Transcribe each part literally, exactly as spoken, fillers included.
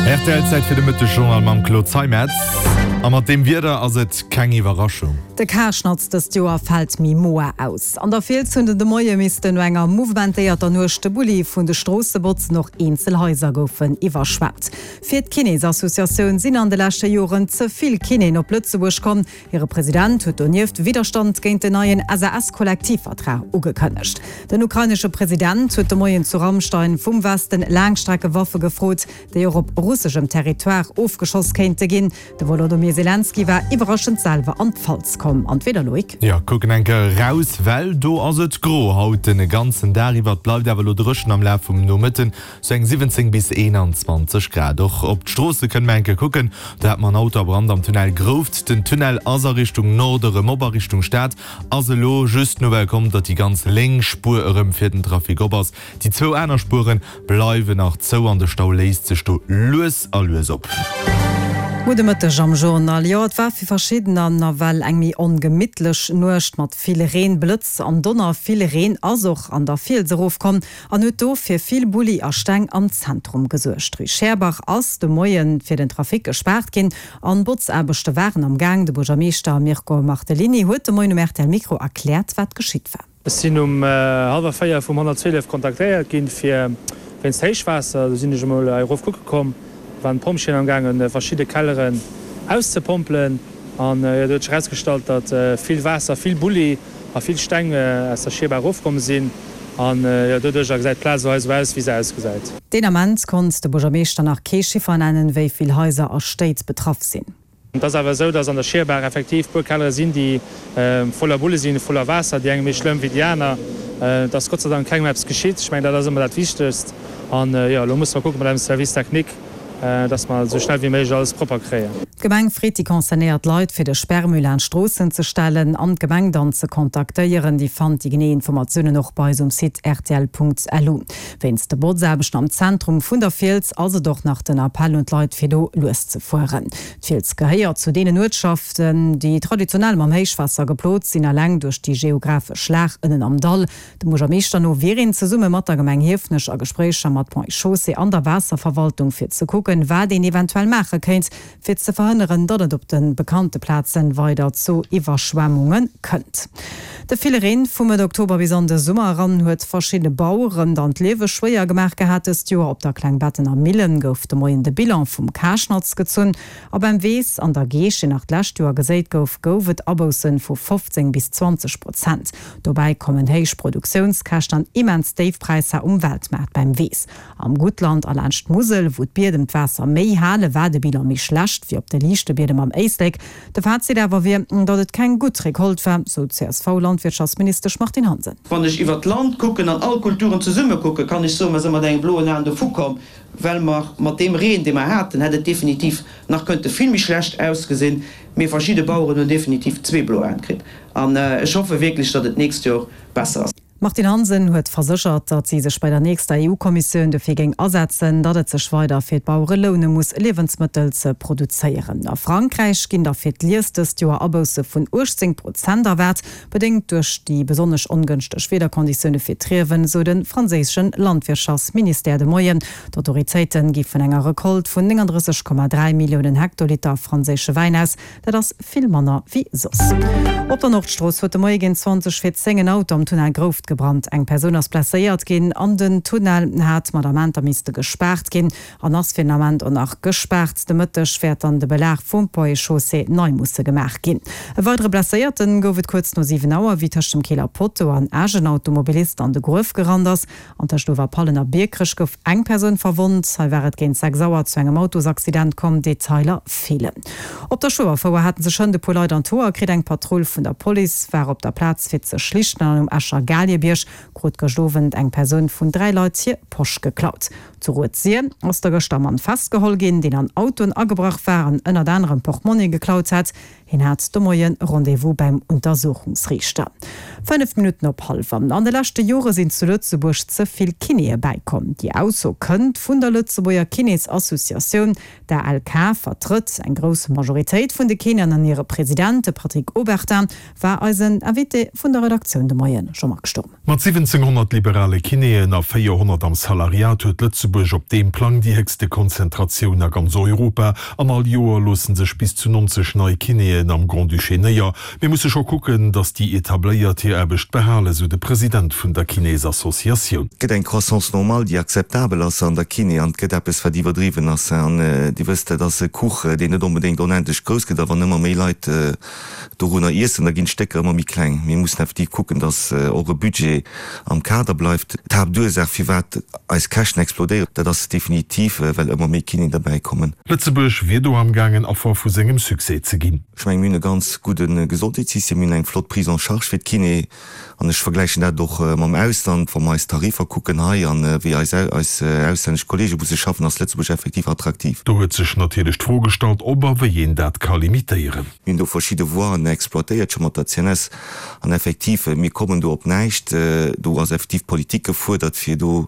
Rtl, Zäit fir de Mëttesjournal mam Claude Zeimetz. A mat deem Wieder ass et keng Iwwerraschung. De Karschnatz dëst Joer fält méi moer aus. An der Fiels hunn den de Moie missten no enger mouvementéierter Nuecht de Bulli vun de Stroosse botzen, och eenzel Haiser goufen iwwerschwemmt. Fir d'Kinésassociatioun sinn an de leschte Joren ze vill Kinéen op Lëtzebuerg komm. Hire President huet donieft Widderstand géint den neien S A S-Kollektivvertrag ugekënnegt. Den ukrainesche President huet de Moien zu Ramstein vum Westen Laangstreckewaffe gefrot, déi och op russeschem Territoire ofgeschoss kéinte ginn. De Wolodymyr Selenskyj war iwwerraschend selwer an d'Pfalz komm. An d'Wieder, Loïc? Jo, kucken eng Kéier eraus, well do ass et gro haut den ganzen Dag iwwer. Et bleift awer elo dréchen am Laf vum Nomëtten, sou eng siwwenzéng bis eenanzwanzeg Grad. Och op d'Stroosse kënne mer eng Kéier kucken, do hat mer en Auto a Brand am Tunnel Grouft. Den Tunnel ass a Richtung Norde erëm op, a Richtung Stad ass elo just d'Nouvelle komm, datt déi ganz lénks Spuer erëm fir den Trafic op ass. Déi zwou aner Spuere bleiwen nach zou an de Stau léist sech do lues a lues op. Gudde Mëtteg am Journal. Jo, et war fir verschiddener nawell eng méi ongemittlech Nuecht mat vill Reen, Blëtz an Donner. Vill Reen ass och an der Fiels erofkomm an huet do fir vill Bulli a Steng am Zentrum gesuergt. D'Rue Scherbach ass de Moie fir den Trafic gespaart ginn an Botzaarbechte waren am Gaang. De Buergermeeschter Mirko Martellini huet de Moien um R T L Mikro erkläert, wat geschitt war. Ech sinn um hallwer véier vum honnertzwielef kontaktéiert ginn, fir wéinst Héichwaasser. Do sinn ech emol hei erof kucke komm. Do waren d'Pompjeeën am gaangen, verschidde Kelleren auszepompelen. An jo, do huet sech erausgestallt, datt vill Waasser, vill Bulli a vill Steng aus der Schierbaach erofkomm sinn. An jo, doduercher gesäit d'Plaz elo hei esou aus, wéi se ausgesäit. Deen Ament konnt de Buergermeeschter nach kee Chiffer nennen, wéi vill Haiser a Stéit betraff sinn. Et ass awer esou, datt an der Schierbaach effektiv puer Kellere sinn, déi voller Bulle sinn, voller Waasser, déi eng méi schlëmm wéi déi aner. Et ass Gott sei Dank kengem eppes geschitt. Ech mengen, dat ass ëmmer dat Wichtegst. An jo, elo musse mer kucke mat eisem Service technique, datt mer esou schnell wéi méiglech alles propper kréien. D'Gemeng freet déi concernéiert Leit, fir de Sperrmüll laanscht Stroossen ze stellen an d'Gemeng dann ze kontaktéieren. Dir fannt déi genee Informatiounen och bei eis um Site rtl Punkt L U. Wéinst de Botzaarbechten am Zentrum vun der Fiels ass et och nach den Appell un d'Leit, fir do lues ze fueren. D'Fiels gehéiert zu deenen Uertschaften, déi traditionell mam Héichwaasser geplot sinn, eleng duerch déi geographesch Lag ënnen am Dall. Dem Buergermeeschter no wier een zesumme mat der Gemeng Hiefenech a Gespréicher mat Ponts et Chaussées an der Waasserverwaltung, fir ze kucken, wat een eventuell maache kéint, fir ze verhënneren, datt et op de bekannte Plaze weider zu Iwwerschwemmunge kënnt. De ville Reen vu Mëtt Oktober bis an de Summer eran huet verschidde Baueren dann d'Liewe schwéier gemaach gehat dëst Joer. Op der Klengbettener Millen gouf de Moien de Bilan vum Karschnatz gezunn. A beim Weess an der Geescht, deen nach d'lescht Joer geséit gouf, gouf et Abousse vu fofzéng bis zwanzeg Prozent. Dobäi kommen héich Produktiounskäschten an immens déif Präisser um Weltmaart beim Weess. Am Guttland a laanscht d'Musel, wou d'Biedem d'Waasser méi halen, war de Bilan méi schlecht wéi op de liichte Biedem am Éislek. De Fazit awer wier, datt et keng gutt Recolte war, sou d'C S V-Landwirtschaftsministesch Martine Hansen. Wann ech iwwer d'Land kucken an all Kulturen zesumme kucken, kann ech soen, mer si mat engem bloen Aen dovukomm, well mer mat deem Reen, dee mer haten, hätt et definitiv nach kënnte vill méi schlecht ausgesinn. Mee verschidde Baueren hunn definitiv zwee blo Aen kritt. An ech hoffe wierklech, datt et d'nächst Joer besser ass. D'Martine Hansen huet verséchert, datt si sech bei der nächster E U-Kommissioun dofir géing asetzen, datt et sech weider fir d'Bauere loune muss, Liewensmëttel ze produzéieren. A Frankräich ginn da fir d'Lies dëst Joer Abousse vun uechtzéng Prozent erwaart, bedéngt duerch déi besonnesch ongënschteg Wiederkonditioune fir d'Riewen, sou de franséische Landwirtschaftsministère de Moien. D'Autoritéite gi vun enger Recolte vun nénganddrësseg Komma dräi Milliounen Hektoliter franséische Wäin aus, dat ass vill manner wéi soss. Op der Nordstrooss huet de Moie géint zwanzeg vir zéng en Auto am Tunnel Grouft gebrannt. Eng Persoun ass blesséiert ginn an den Tunnel hat mat Amenter misste gespaart ginn an ass fir den Ament och nach gespaart. De Mëtteg wäert dann de Belag vum Ponts et Chaussées nei musse gemaach ginn. E weidere Blesséierte gouf et kuerz no siwen Auer, wéi tëscht dem Keeler Potto an Esch en Automobilist an de Gruef gerannt ass. An tëscht Uewerpallen a Biekerech gouf eng Persoun verwonnt. Hei war et géint sechs Auer zu engem Autosaccident komm, Detailer feelen. Op der Schueberfouer haten sech hënt e puer Leit an d'Hoer kritt. Eng Patrull vun der Police war op der Plaz fir ze schlichten an um Escher Galiebierg krut gëscht Owend eng Persoun vun dräi Leit hir Posch geklaut. Zu Rued-Sir ass da gëschter e Mann festgeholl ginn, deen an Autoen agebrach war an ënnert anerem Portmonni geklaut hat. Hien hat de Moie Rendez-vous beim Untersuchungsriichter. Fënnef Minutten op hallwer. An de leschte Jore sinn zu Lëtzebuerg ze vill Kinéë bäikomm. Déi Ausso kënnt vun der Lëtzebuerger Kinésassociatioun. D'ALK vertrëtt eng grouss Majoritéit vun de Kinéen an hire President, de Patrick Obertin, war eisen Invité vun der Redaktioun de Moien. Jean-Marc Sturm. Mat siwwenzénghonnert liberale Kinéen a véierhonnert am Salariat huet Lëtzebuerg op deem Plang déi héchste Konzentratioun a ganz Europa. An all Joer loosse sech bis zu nonzeg nei Kinéen am Grand-Duché néier. Mir musse scho kucken, datt déi Etabléiert hir Aarbecht behalen, sou de President vun der Kinésassociatioun. Et gëtt eng Croissance normale, déi akzeptabel ass an der Kiné, an et gëtt eppes, wat iwwerdriwwen ass. An Dir wësst, dat ass e Kuch, deen net onbedéngt onendlech grouss gëtt, a wann ëmmer méi Leit dorunner iessen, da ginn d'Stécker ëmmer méi kleng. Mir mussen effektiv kucken, datt och e Budget am Kader bleift. D'Haaptursaach, firwat eis Käschten explodéieren, dat ass definitiv, well ëmmer méi Kinéen derbäikommen. Lëtzebuerg wier do amgaangen, Affer vu sengem Succès ze ginn. Ech mengen, mir hunn e ganz gudde Gesondheetssystem, mir hunn eng flott Prise en charge fir d'Kiné an ech vergläichen dat och mam Ausland. Wa mer eis Tariffer kucken hei an wéi eis eis auslännesch Kollege musse schaffen, ass Lëtzebuerg effektiv attraktiv. Do huet sech natierlech d'Fro gestallt, ob a wéi een dat ka limitéieren. Mir hunn do verschidde Voien exploitéiert scho mat der C N S an effektiv, mir kommen do op näischt. Do ass effektiv Politik gefuerdert, fir do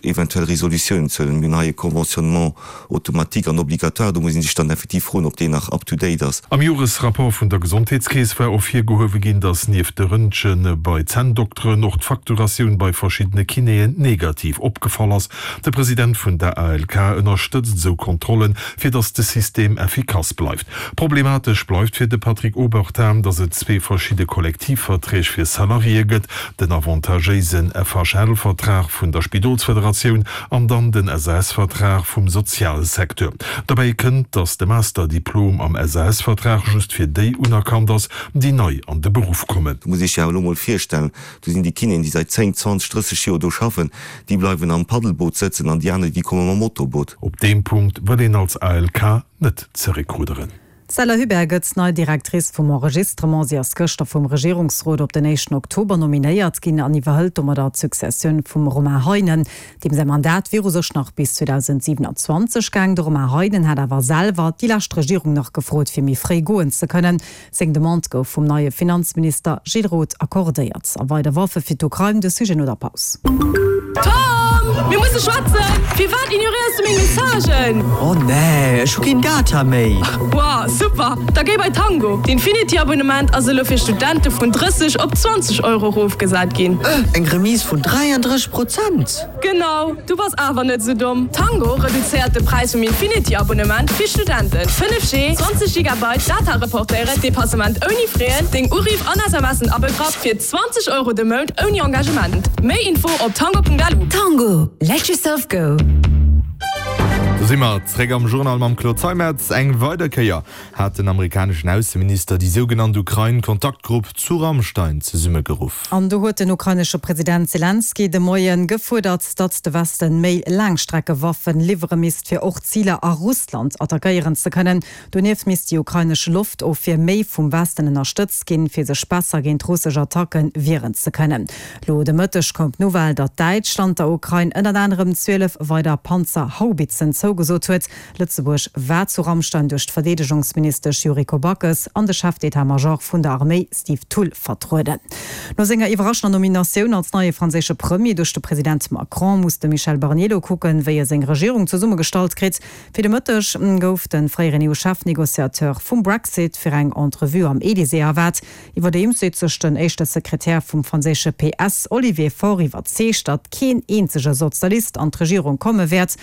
eventuell Resolutiounen ze huelen. Mir hunn hei e Conventionnement automatique an obligatoire, do muss ee sech dann effektiv froen, ob deen nach up to date ass. Am Joresrapport vun der Gesondheetskeess war ervirgehuewe ginn, datt nieft de Röntge bei Zänndokteren och d'Facturatioun bei verschiddene Kinéen negativ opgefall ass. De President vun der A L K ënnerstëtzt esou Kontrollen, fir datt de System effikass bleift. Problematesch bleift fir de Patrick Obertin, datt et zwee verschidde Kollektivverträg fir Salariéë gëtt, den avantagéisen F H L-Vertrag vun der Spidolsfederatioun an dann den S A S-Vertrag vum Sozialsecteur. Dobäi kënnt, datt de Masterdiplom am S A S-Vertrag just fir déi unerkannt ass, déi nei an de Beruff kommen. Do muss ee sech awer elo mol virstellen, do sinn déi Kinéen, déi säit zéng, zwanzeg, drësseg Joer do schaffen, déi bleiwen am Paddelboot sëtzen an déi aner, déi komme mam Motorboot. Op deem Punkt wëll een als A L K net zeréckrudderen. D'Stella Hubert gëtt nei Directrice vum Enregistrement. Si ass gëschter vum Regierungsrot op den éischten Oktober nominéiert ginn an iwwerhëlt domadder d'Successioun vum Romain Heinen, deem säi Mandat wier u sech nach bis zweedausendsiwenanzwanzeg gaang. De Romain Heinen hat awer selwer déi lescht Regierung nach gefrot, fir méi fréi goen ze kënnen. Seng Demande gouf vum neie Finanzminister Gilles Roth accordéiert. A weider Waffe fir d'Ukrain, de Sujet no der Paus. Tom, mir musse schwätzen! Firwat ignoréiers du meng Messagen? Oh nee, ech hu keen Data méi. Wow, super! Da géi bei Tango. D'Infinity-Abonnement ass elo fir Studente vun drësseg op zwanzeg Euro erofgesat ginn. Eng Remise vun dräiandrësseg Prozent? Genau, du bass awer net sou domm. Tango reduzéiert de Präis vum Infinity-Abonnement fir Studenten. fënnef G, zwanzeg Gigabyte Data reportéieren, Depassement ouni Frais, deng Uriff an S M Sen abegraff fir zwanzeg Euro de Mount ouni Engagement. Méi Info op tango Punkt L U. Tango, let yourself go. Do si mer zréck am Journal mam Claude Zeimetz. Eng weider Kéier hat den amerikaneschen Ausseminister déi sougenannt Ukrain-Kontaktgrupp zu Ramstein zesummegeruff. An do huet den ukrainesche President Selenskyj de Moien gefuerdert, datt de Westen méi Laangstreckewaffen liwwere misst, fir och Ziler a Russland attackéieren ze kënnen. Donieft misst déi ukrainesch Loftofwier méi vum Westen ënnerstëtzt ginn, fir sech besser géint russesch Attacke wieren ze kënnen. Lo de Mëtteg koum d'Nouvelle, datt Däitschland der Ukrain ënnert anerem zwielef weider Panzerhaubitzen zougesot huet. Lëtzebuerg war zu Ramstein duerch d'Verdeedegungsministesch Yuriko Backes an de Chef d'état-major vun der Arméi Steve Thull vertrueden. No senger iwwerraschender Nominatioun als neie franséische Premier duerch de President Macron muss de Michel Barnier lo kucken, wéi e seng Regierung zesummegestallt kritt. Fir de Mëtteg gouf de fréieren E U-Chefnegociateur vum Brexit fir eng Entrevue am Elysée erwaart. Iwwerdeems seet sech den éischte Sekretär vum franséische P S Olivier Faure iwwerzeegt, datt keen eenzege Sozialist an d'Regierung komme wäert.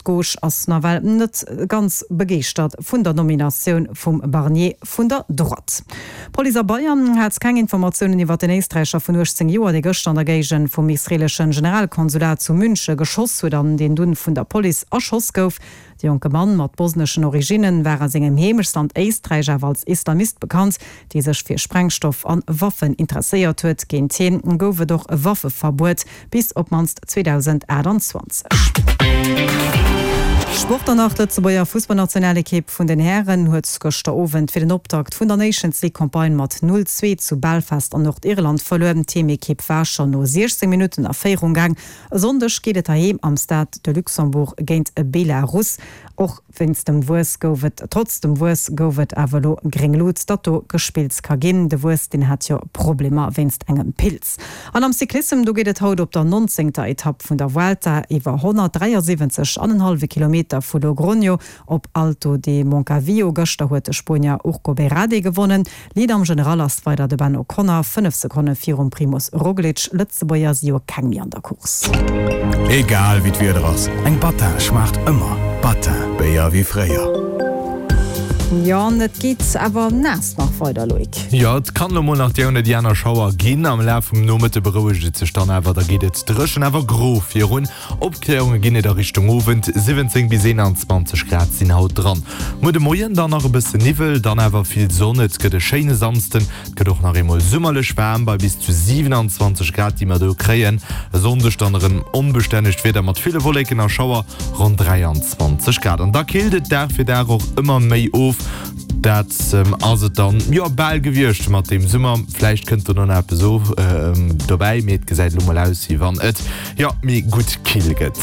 D'Gauche ass nawell net ganz begeeschtert vun der Nominatioun vum Barnier vun der Droite. D'Police a Bayern hat keng Informatiounen iwwer den Éisträicher vun uechtzéng Joer, dee gëschter an der Géigend vum israeelesche Generalkonsulat zu Münche geschoss huet an deen dunn vun der Police erschoss gouf. De jonke Mann mat bosneschen Originnen war a sengem Heemechtsland Éisträich awer als Islamist bekannt, dee sech fir Sprengstoff an Waffen interesséiert huet. Géint hien gouf et och e Waffeverbuet bis op d'mannst zweedausendaachtanzwanzeg. Sport dann nach, D'Lëtzebuerger Fussballnationalekipp vun den Hären huet gëschter Owend fir den Optakt vun der Nations League Campagne mat null, zwee zu Belfast an Nordirland verluer. D'Heemekipp war schonn no siechzéng Minutten a Féierung gaang. E Sonndeg geet et heiheem am Stade de Luxembourg géint Belarus. Och wéinst dem Wuess gouf et, trotz dem Wuess gouf et awer elo gréng Lut, datt do gespillt ka ginn. De Wuess, deen hat jo Problemer wéinst engem Pilz. An am Cyclissem, do geet et haut op der nonzéngter Etapp vun der Vuelta iwwer honnertdräiasiwwenzeg an en hallwe Kilometer vu Logroño op Alto de Moncalvillo. Gëschter huet de Spuenier Urko Berrade gewonnen. Leader am General ass weider de Ben O'Connor, fënnef Sekonne virum Primoz Roglic. Lëtzebuerger si jo keng méi an der Course. Egal wéi d'Wieder ass, eng Battin schmaacht ëmmer. Battin, Béier wéi fréier. Jo, an et geet awer naass nach weider, Loïc. Jo, et kann elo mol nach déi oder déi aner Schauer ginn. Am Laf vum Nomëtte berouegt et sech dann awer, da geet et dréchen awer gro virun. Opkläerunge ginn et a Richtung Owend, siwwenzéng bis eenanzwanzeg Grad sinn haut dran. Muer de Moien dann nach e bësse Niwwel, dann awer vill Sonn. Et gëtt e schéine Samsden, et gëtt och nach eemol summerlech waarm bei bis zu siwenanzwanzeg Grad, déi mer do kréien. E Sonndeg dann erëm onbestännegt Wieder mat ville Wolleken a Schauer, ronn dräianzwanzeg Grad. An da killt et Dag fir Dag och ëmmer méi of. Dat ass et dann jo bal gewiescht mat dem Summer. Vläicht kënnt do nach eppes dobäi, mee et gesäit elo mol aus, wéi wann et jo méi gutt kill gëtt.